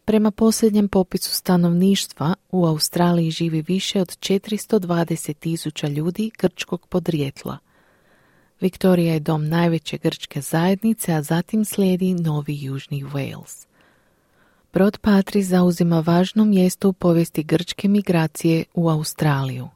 Prema posljednjem popisu stanovništva, u Australiji živi više od 420.000 ljudi grčkog podrijetla. Viktorija je dom najveće grčke zajednice, a zatim slijedi Novi Južni Wales. Brod Patris zauzima važno mjesto u povijesti grčke migracije u Australiju.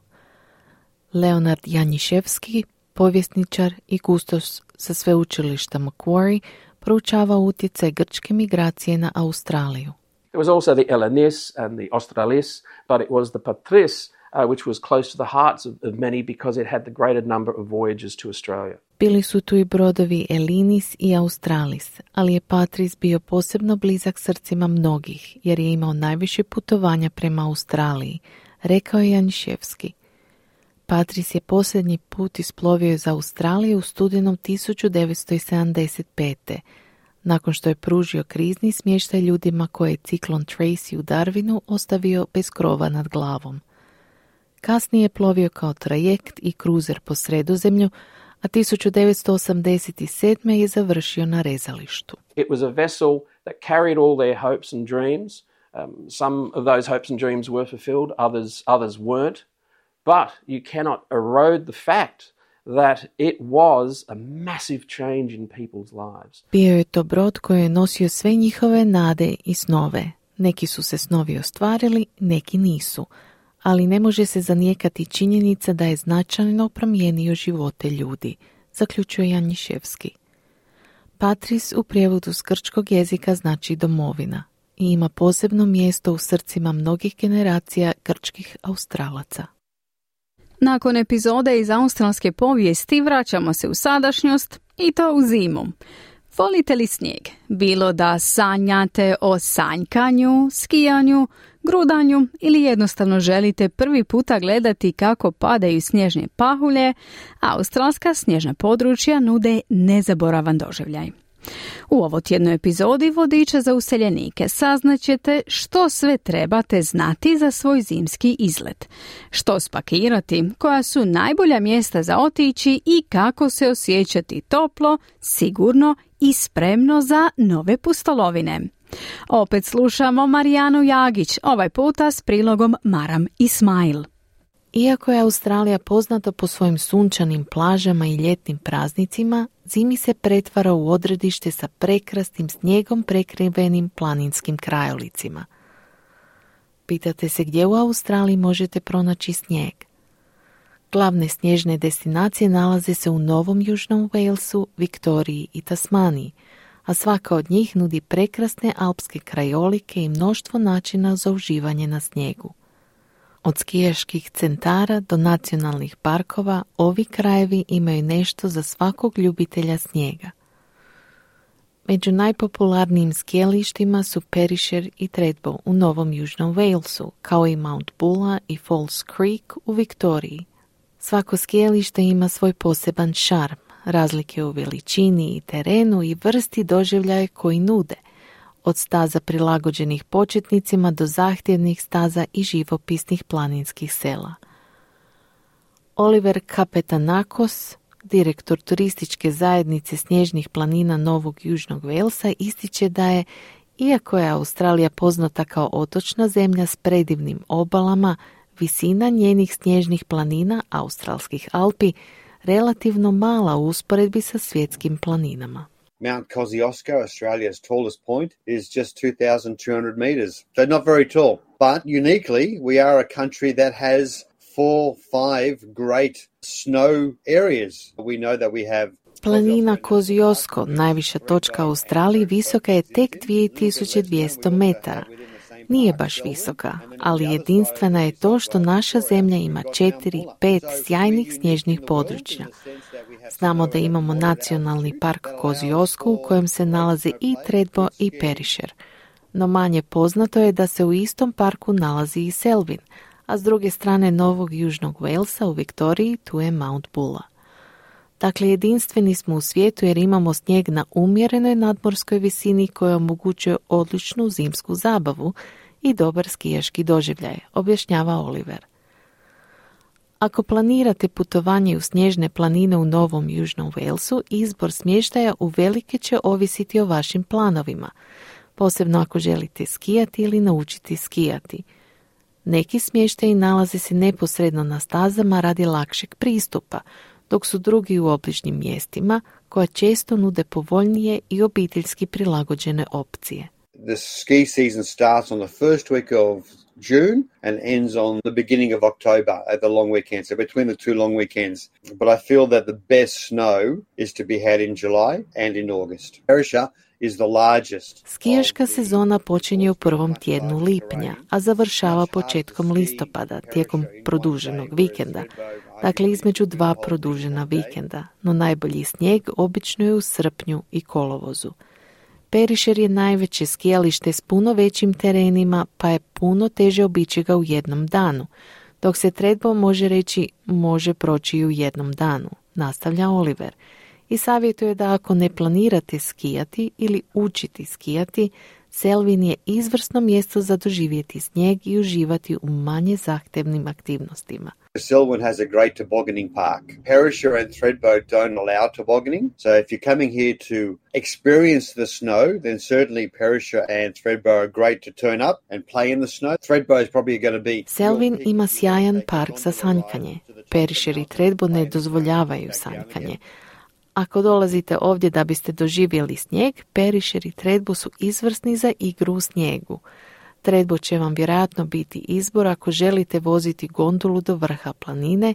Leonard Janiševski, povjesničar i kustos sa sveučilišta Macquarie, proučava utjecaj grčke migracije na Australiju. It was also the Elenis and the Australis, but it was the Patris which was close to the hearts of many because it had the greater number of voyages to Australia. Bili su tu i brodovi Elinis i Australis, ali je Patris bio posebno blizak srcima mnogih, jer je imao najviše putovanja prema Australiji, rekao je Janiševski. Patris je posljednji put isplovio iz Australije u studenom 1975. nakon što je pružio krizni smještaj ljudima koje je ciklon Tracy u Darwinu ostavio bez krova nad glavom. Kasnije je plovio kao trajekt i kruzer po Sredozemlju, a 1987. je završio na rezalištu. It was a vessel that carried all their hopes and dreams. Some of those hopes and dreams were fulfilled, others weren't. But you cannot erode the fact that it was a massive change in people's lives. Bio je to brod koji je nosio sve njihove nade i snove. Neki su se snovi ostvarili, neki nisu. Ali ne može se zanijekati činjenica da je značajno promijenio živote ljudi, zaključuje Janiševski. Patris u prijevodu s grčkog jezika znači domovina i ima posebno mjesto u srcima mnogih generacija grčkih Australaca. Nakon epizode iz australske povijesti vraćamo se u sadašnjost i to u zimu. Volite li snijeg? Bilo da sanjate o sanjkanju, skijanju, grudanju ili jednostavno želite prvi puta gledati kako padaju snježne pahulje, australska snježna područja nude nezaboravan doživljaj. U ovotjednoj epizodi vodiča za useljenike saznaćete što sve trebate znati za svoj zimski izlet, što spakirati, koja su najbolja mjesta za otići i kako se osjećati toplo, sigurno i spremno za nove pustolovine. Opet slušamo Marijanu Jagić, ovaj puta s prilogom Maram Ismail. Iako je Australija poznata po svojim sunčanim plažama i ljetnim praznicima, zimi se pretvara u odredište sa prekrasnim snijegom prekrivenim planinskim krajolicima. Pitate se gdje u Australiji možete pronaći snijeg? Glavne snježne destinacije nalaze se u Novom Južnom Walesu, Viktoriji i Tasmaniji, a svaka od njih nudi prekrasne alpske krajolike i mnoštvo načina za uživanje na snijegu. Od skijaških centara do nacionalnih parkova, ovi krajevi imaju nešto za svakog ljubitelja snijega. Među najpopularnijim skijalištima su Perisher i Thredbo u Novom Južnom Walesu, kao i Mount Bulla i Falls Creek u Viktoriji. Svako skijalište ima svoj poseban šarm, razlike u veličini i terenu i vrsti doživljaja koji nude, od staza prilagođenih početnicima do zahtjevnih staza i živopisnih planinskih sela. Oliver Kapetanakos, direktor turističke zajednice snježnih planina Novog Južnog Walesa, ističe da je, iako je Australija poznata kao otočna zemlja s predivnim obalama, visina njenih snježnih planina, australskih Alpi, relativno mala u usporedbi sa svjetskim planinama. Mount Kosciuszko, Australia's tallest point, is just 2,200 meters. So not very tall. But uniquely, we are a country that has 4-5 great snow areas. We know that we have Planina Kosciuszko, najviša točka u Australiji, visoka je tek 2200 metara. Nije baš visoka, ali jedinstvena je to što naša zemlja ima 4-5 sjajnih snježnih područja. Znamo da imamo nacionalni park Kosciuszko u kojem se nalaze i Thredbo i Perisher. No manje poznato je da se u istom parku nalazi i Selwyn, a s druge strane Novog Južnog Walesa u Viktoriji tu je Mount Bulla. Dakle, jedinstveni smo u svijetu jer imamo snijeg na umjerenoj nadmorskoj visini koja omogućuje odličnu zimsku zabavu i dobar skijaški doživljaj, objašnjava Oliver. Ako planirate putovanje u snježne planine u Novom Južnom Walesu, izbor smještaja uvelike će ovisiti o vašim planovima, posebno ako želite skijati ili naučiti skijati. Neki smještaji nalaze se neposredno na stazama radi lakšeg pristupa, dok su drugi u obližnjim mjestima koja često nude povoljnije i obiteljski prilagođene opcije. The ski season starts on the first week of June and ends on the beginning of October at the long weekend, so between the two long weekends. But I feel that the best snow is to be had in July and in August. Perisher is the largest. Skijaška sezona počinje u prvom tjednu lipnja, a završava početkom listopada tijekom produženog vikenda. Dakle, između dva produžena vikenda, no najbolji snijeg obično je u srpnju i kolovozu. Perisher je najveće skijalište s puno većim terenima, pa je puno teže obići ga u jednom danu, dok se Thredbo može reći može proći i u jednom danu, nastavlja Oliver. I savjetuje da ako ne planirate skijati ili učiti skijati, Selwyn je izvrsno mjesto za doživjeti snijeg i uživati u manje zahtevnim aktivnostima. Selwyn has a great tobogganing park. Perisher and Thredbo don't allow tobogganing. So if you're coming here to experience the snow, then certainly Perisher and Thredbo are great to turn up and play in the snow. Thredbo is probably going to be... Selwyn ima sjajan park za sanjkanje. Perisher i Thredbo ne dozvoljavaju sanjkanje. Ako dolazite ovdje da biste doživjeli snijeg, Perisher i Thredbo su izvrsni za igru u snijegu. Thredbo će vam vjerojatno biti izbor ako želite voziti gondolu do vrha planine,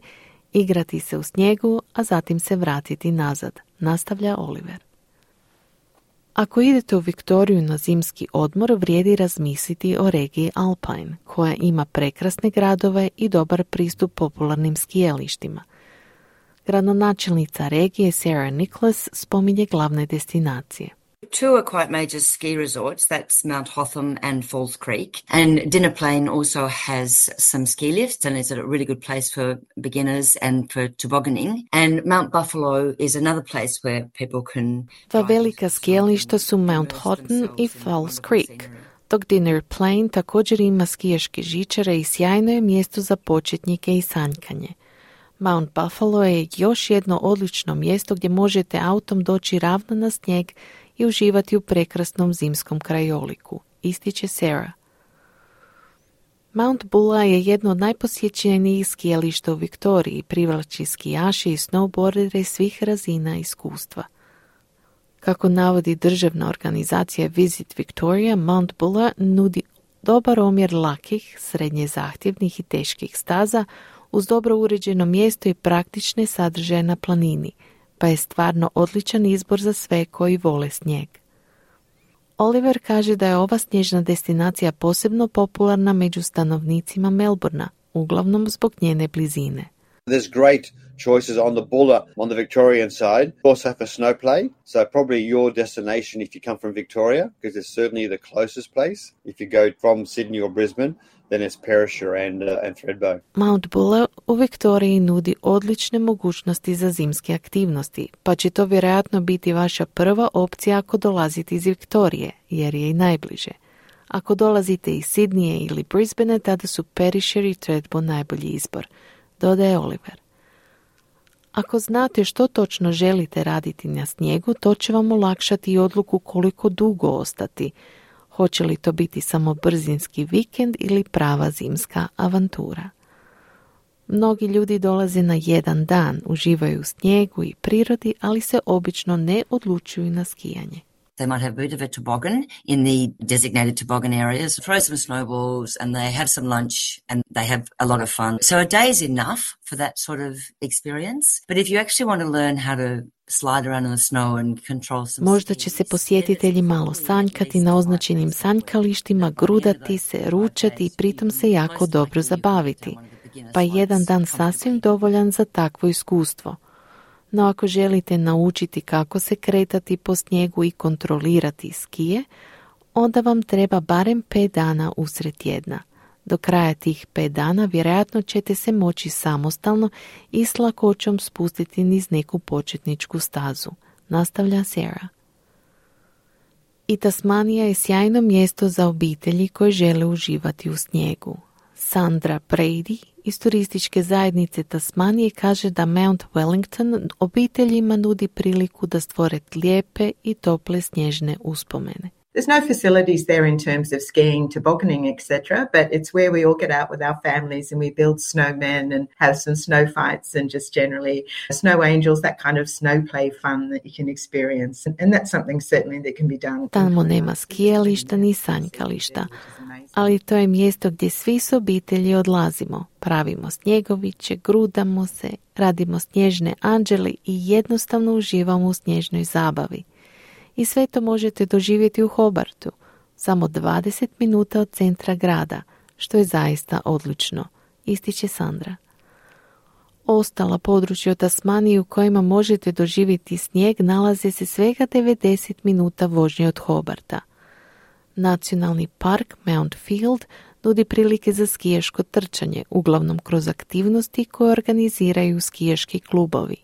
igrati se u snijegu, a zatim se vratiti nazad, nastavlja Oliver. Ako idete u Viktoriju na zimski odmor, vrijedi razmisliti o regiji Alpine, koja ima prekrasne gradove i dobar pristup popularnim skijalištima. Gradonačelnica regije Sarah Nicholas spominje glavne destinacije. Two are quite major ski resorts, that's Mount Hotham and Falls Creek. And Dinner Plain also has some ski lifts and is a really good place for beginners and for tobogganing. And Mount Buffalo is another place where people can... Dva velika skijališta su Mount Hotham i Falls Creek, dok Dinner Plain također ima skijaške žičare i sjajno je mjesto za početnike i sanjkanje. Mount Buffalo je još jedno odlično mjesto gdje možete autom doći ravno na snijeg i uživati u prekrasnom zimskom krajoliku, ističe Sarah. Mount Bulla je jedno od najposjećenijih skijališta u Viktoriji i privlači skijaše i snowboardere svih razina iskustva. Kako navodi državna organizacija Visit Victoria, Mount Bulla nudi dobar omjer lakih, srednje zahtjevnih i teških staza uz dobro uređeno mjesto i praktične sadržaje na planini, pa je stvarno odličan izbor za sve koji vole snijeg. Oliver kaže da je ova snježna destinacija posebno popularna među stanovnicima Melbourna, uglavnom zbog njene blizine. There's great choices on the Bulla on the Victorian side. Also for snow play, so probably your destination if you come from Victoria, because it's certainly the closest place. If you go from Sydney or Brisbane, then it's Perisher and Thredbo. Mount Bulla u Viktoriji nudi odlične mogućnosti za zimske aktivnosti, pa će to vjerojatno biti vaša prva opcija ako dolazite iz Viktorije, jer je i najbliže. Ako dolazite iz Sidnije ili Brisbane, tada su Perisher i Thredbo najbolji izbor, dodaje Oliver. Ako znate što točno želite raditi na snijegu, to će vam olakšati i odluku koliko dugo ostati. Hoće li to biti samo brzinski vikend ili prava zimska avantura? Mnogi ljudi dolaze na jedan dan, uživaju u snijegu i prirodi, ali se obično ne odlučuju na skijanje. They might have a bit of a toboggan in the designated toboggan areas, throw some snowballs and they have some lunch and they have a lot of fun. So a day is enough for that sort of experience. But if you actually want to learn how to slide around in the snow and control some... Možda će se posjetitelji malo sanjkati na označenim sanjkalištima, grudati se, ručati i pritom se jako dobro zabaviti. Pa jedan dan sasvim dovoljan za takvo iskustvo. No ako želite naučiti kako se kretati po snijegu i kontrolirati skije, onda vam treba barem 5 dana usred tjedna. Do kraja tih 5 dana vjerojatno ćete se moći samostalno i s lakoćom spustiti niz neku početničku stazu, nastavlja Sarah. I Tasmanija je sjajno mjesto za obitelji koje žele uživati u snijegu. Sandra Brady iz turističke zajednice Tasmanije kaže da Mount Wellington obiteljima nudi priliku da stvore lijepe i tople snježne uspomene. There's no facilities there in terms of skiing, tobogganing, etc., but it's where we all get out with our families and we build snowmen and have some snow fights and just generally snow angels, that kind of snow play fun that you can experience. And that's something certainly that can be done. Tamo nema skijališta ni sanjkališta, ali to je mjesto gdje svi s obitelji odlazimo. Pravimo snjegoviće, grudamo se, radimo snježne anđele i jednostavno uživamo u snježnoj zabavi. I sve to možete doživjeti u Hobartu, samo 20 minuta od centra grada, što je zaista odlično, ističe Sandra. Ostala područja u Tasmaniji u kojima možete doživjeti snijeg nalaze se svega 90 minuta vožnje od Hobarta. Nacionalni park Mount Field nudi prilike za skijaško trčanje, uglavnom kroz aktivnosti koje organiziraju skijaški klubovi.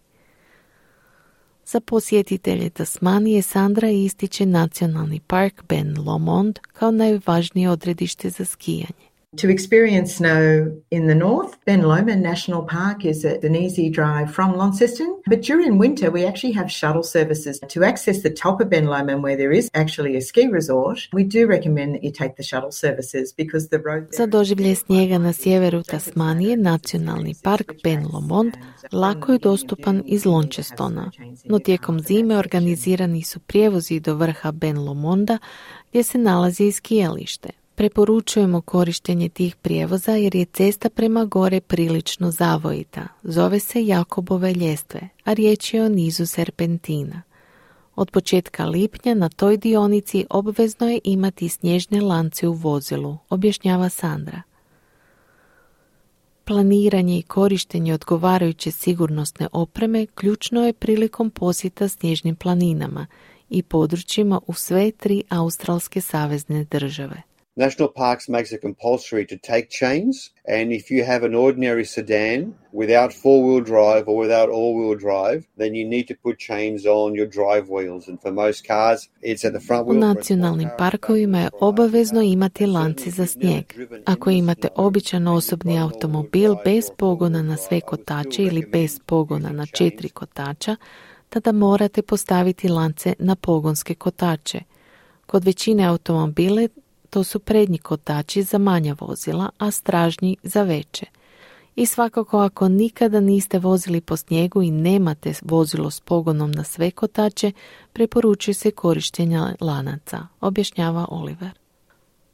Za posjetitelje Tasmanije Sandra ističe Nacionalni park Ben Lomond kao najvažnije odredište za skijanje. To experience snow in the north, Ben Lomond National Park is an easy drive from Launceston, but during winter we actually have shuttle services to access the top of Ben Lomond where there is actually a ski resort. We do recommend that you take the shuttle services because the road Za doživljaj snijega na sjeveru Tasmanije, Nacionalni park Ben Lomond lako je dostupan iz Launcestona, no tijekom zime organizirani su prijevozi do vrha Ben Lomonda gdje se nalazi i skijalište. Preporučujemo korištenje tih prijevoza jer je cesta prema gore prilično zavojita. Zove se Jakobove ljestve, a riječ je o nizu serpentina. Od početka lipnja na toj dionici obvezno je imati snježne lance u vozilu, objašnjava Sandra. Planiranje i korištenje odgovarajuće sigurnosne opreme ključno je prilikom posjeta snježnim planinama i područjima u sve 3 australske savezne države. National Parks makes it compulsory to take chains, and if you have an ordinary sedan without four-wheel drive or without all-wheel drive, then you need to put chains on your drive wheels, and for most cars it's at the front wheel. U nacionalnim parkovima je obavezno imati lance za snijeg. Ako imate običan osobni automobil bez pogona na sve kotače ili bez pogona na 4 kotača, tada morate postaviti lance na pogonske kotače. Kod većine automobile to su prednji kotači za manja vozila, a stražnji za veće. I svakako ako nikada niste vozili po snijegu i nemate vozilo s pogonom na sve kotače, preporučuje se korištenje lanaca, objašnjava Oliver.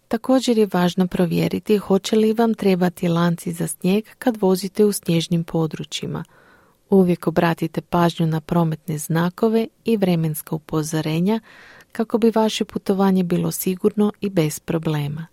Također je važno provjeriti hoće li vam trebati lanci za snijeg kad vozite u snježnim područjima. Uvijek obratite pažnju na prometne znakove i vremenska upozorenja kako bi vaše putovanje bilo sigurno i bez problema.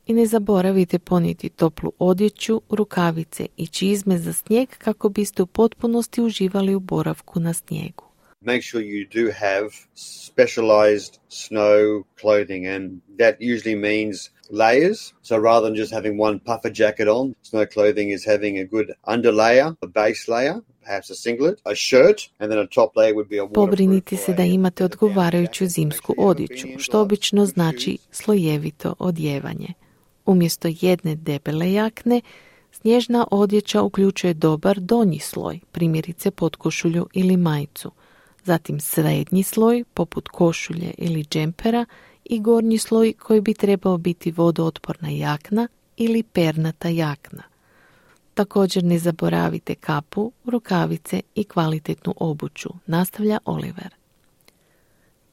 I ne zaboravite ponijeti toplu odjeću, rukavice i čizme za snijeg kako biste u potpunosti uživali u boravku na snijegu. Make sure you do have specialized snow clothing, and that usually means layers. So rather than just having one puffer jacket on, snow clothing is having a good underlayer, a base layer, perhaps a singlet, a shirt, and then a top layer would be a waterproof. Pobrinite se da imate odgovarajuću zimsku odjeću, što obično znači slojevito odjevanje. Umjesto jedne debele jakne, snježna odjeća uključuje dobar donji sloj, primjerice potkošulju ili majicu, zatim srednji sloj, poput košulje ili džempera, i gornji sloj koji bi trebao biti vodootporna jakna ili pernata jakna. Također ne zaboravite kapu, rukavice i kvalitetnu obuću, nastavlja Oliver.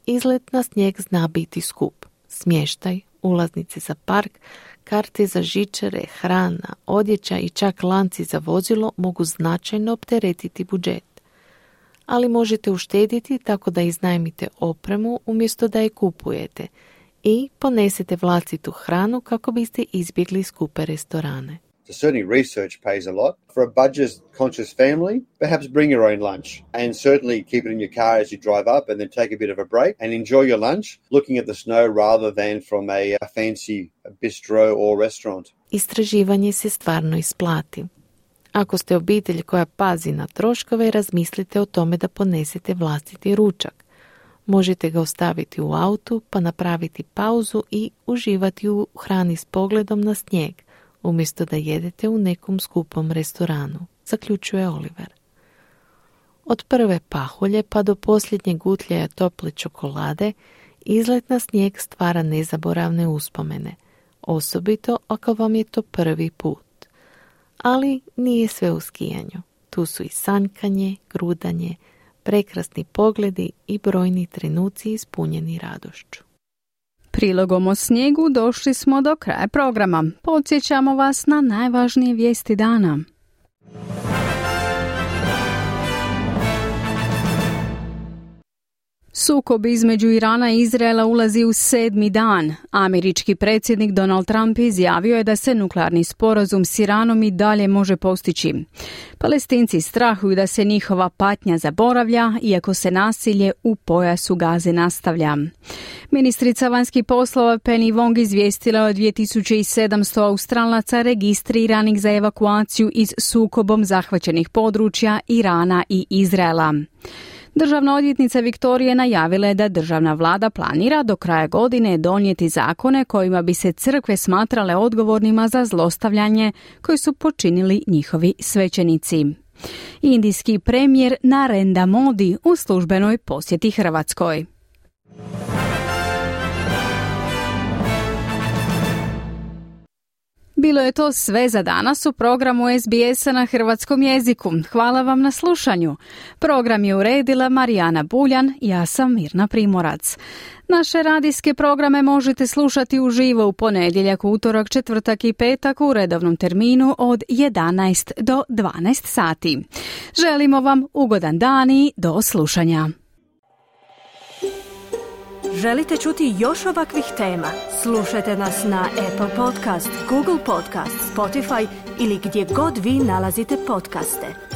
Izlet na snijeg zna biti skup. Smještaj, ulaznice za park, karte za žičare, hrana, odjeća i čak lanci za vozilo mogu značajno opteretiti budžet. Ali možete uštediti tako da iznajmite opremu umjesto da je kupujete i ponesete vlastitu hranu kako biste izbjegli skupe restorane. So certainly research pays a lot. For a budget-conscious family, perhaps bring your own lunch, and certainly keep it in your car as you drive up and then take a bit of a break and enjoy your lunch, looking at the snow rather than from a fancy bistro or restaurant. Istraživanje se stvarno isplati. Ako ste obitelj koja pazi na troškove, razmislite o tome da ponesete vlastiti ručak. Možete ga ostaviti u autu, pa napraviti pauzu i uživati u hrani s pogledom na snijeg, umjesto da jedete u nekom skupom restoranu, zaključuje Oliver. Od prve pahulje pa do posljednjeg gutljaja tople čokolade Izlet na snijeg stvara nezaboravne uspomene, osobito ako vam je to prvi put. Ali nije sve u skijanju. Tu su i sanjkanje, grudanje, prekrasni pogledi i brojni trenuci ispunjeni radošću. Prilogom o snijegu došli smo do kraja programa. Podsjećamo vas na najvažnije vijesti dana. Sukob između Irana i Izraela ulazi u 7. dan. Američki predsjednik Donald Trump izjavio je da se nuklearni sporazum s Iranom i dalje može postići. Palestinci strahuju da se njihova patnja zaboravlja, iako se nasilje u pojasu Gaze nastavlja. Ministrica vanjskih poslova Penny Wong izvijestila je o 2700 Australaca registriranih za evakuaciju iz sukobom zahvaćenih područja Irana i Izraela. Državna odvjetnica Viktorije najavila je da državna vlada planira do kraja godine donijeti zakone kojima bi se crkve smatrale odgovornima za zlostavljanje koje su počinili njihovi svećenici. Indijski premijer Narendra Modi u službenoj posjeti Hrvatskoj. Bilo je to sve za danas u programu SBS-a na hrvatskom jeziku. Hvala vam na slušanju. Program je uredila Marijana Buljan, ja sam Mirna Primorac. Naše radijske programe možete slušati uživo u ponedjeljak, utorak, četvrtak i petak u redovnom terminu od 11 do 12 sati. Želimo vam ugodan dan i do slušanja. Želite čuti još ovakvih tema? Slušajte nas na Apple Podcast, Google Podcast, Spotify ili gdje god vi nalazite podcaste.